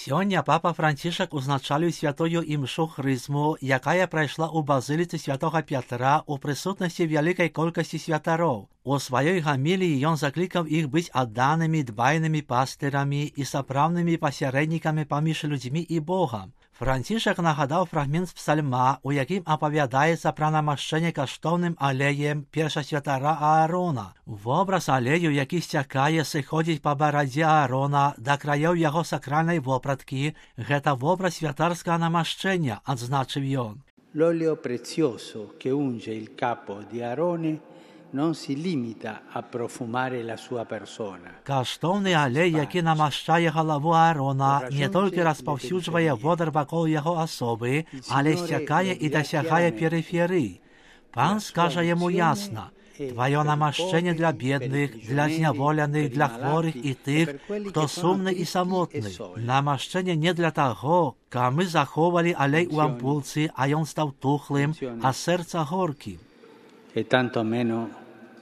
Сёння папа Францішак узначаліў святую імшу хрызму, якая прайшла ў базыліцы святога Пятра ў прысутнасці вялікай колькасці святароў. У сваёй гаміліі ён заклікаў іх быць адданымі, дбайнымі пастырамі і сапраўднымі пасярэднікамі паміж людзьмі і Богам. Францішак нагадаў фрагмент з псальма, у якім апавядаецца пра намашчэнне каштоўным алеем першасвятара Аарона. Вобраз алею, які сцякае, сыходзіць па барадзе Аарона да краёў яго сакральнай вопраткі, гэта вобраз святарскага намашчэння, адзначыў ён. L'olio prezioso che unge il capo di Aarone non si limita a profumare la sua persona. Каштоўны алей, які намашчае галаву Аарона, не толькі распаўсюджвае водар вакол яго асобы, але сцякае і дасягае перыферыі. Пан скажа яму ясна: тваё намашчэнне для бедных, для зняволеных, для хворых і тых, хто сумны і самотны. Намашчэнне не для таго, каб мы заховалі алей у ампулцы, а ён стаў тухлым, а сэрца горкім. E tanto meno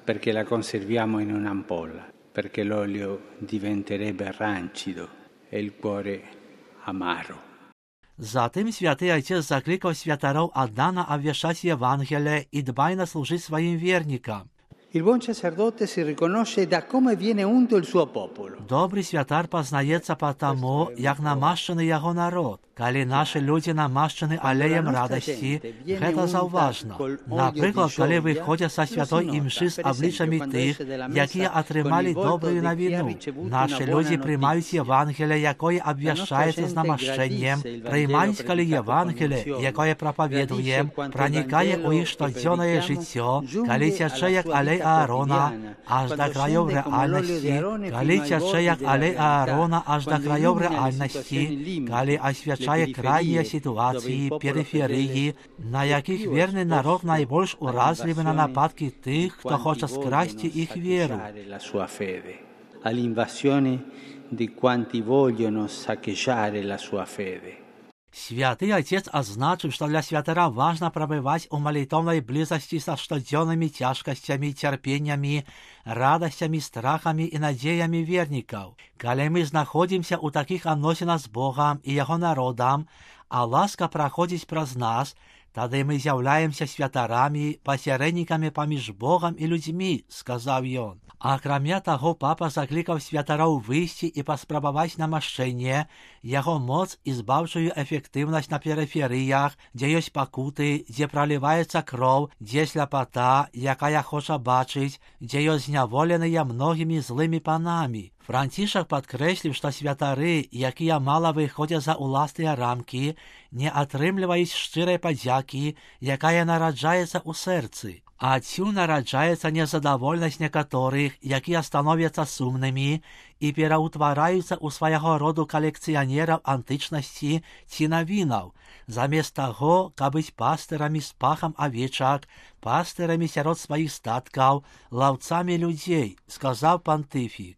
perché la conserviamo in un'ampolla, perché l'olio diventerebbe rancido e il cuore amaro. Затым святы Отец закликав святароў аддана абвяшчаць Евангелие і дбайна служыць сваім вернікам. Il buon sacerdote si riconosce da come viene unto il suo popolo. Добрый святар пазнаецца па таму, як намашчаны яго народ. Калі нашы людзі намашчаны алеем радасці, гэта заўважна. Напрыклад, калі выходзяць са святой імшы з аблічамі тых, якія атрымалі добрую навіну. Нашы людзі прымаюць Евангелие, якое абвяшчаецца з намашчэннем, прымаюць, калі Евангелие, якое прапаведуем, пранікае ў іх штодзённае жыццё, калі цячэ як алей Аарона аж да краёў рэальнасці, калі цячэ як алей Аарона аж да краёў рэальнасці, калі асвячае крайнія сітуацыі, перыферыі, на якіх верны народ найбольш уразлівы на нападкі тых, хто хоча скрасці іх веру. All'invasione di quanti vogliono saccheggiare la sua fede. Святы Отец адзначыў, што для святара важна прабываць у малітоўнай блізасці са штодзённымі цяжкасцямі, цярпеннямі, радасцямі, страхамі і надзеямі вернікаў. Калі мы знаходзімся ў такіх адносінах з Богам і яго народам, а ласка праходзіць праз нас, тады мы з'яўляемся святарамі, пасярэднікамі паміж Богам і людзьмі, сказаў ён. Акрамя таго, папа заклікаў святароў выйсці і паспрабаваць намашчэнне, яго моц і збаўчую эфектыўнасць на перыферыях, дзе ёсць пакуты, дзе праліваецца кроў, дзе сляпата, якая хоча бачыць, дзе ёсць зняволеныя многімі злымі панамі. Францішак падкрэсліў, што святары, якія мала выходзяць за ўласныя рамкі, не атрымліваюць шчырай падзякі, якая нараджаецца ў сэрцы. Адсюль нараджаецца незадавольнасць некаторых, якія становяцца сумнымі і пераўтвараюцца ў свайго роду калекцыянераў антычнасці ці навінаў, замест таго, каб быць пастырамі з пахам авечак, пастырамі сярод сваіх статкаў, лаўцамі людзей, сказаў пантыфік.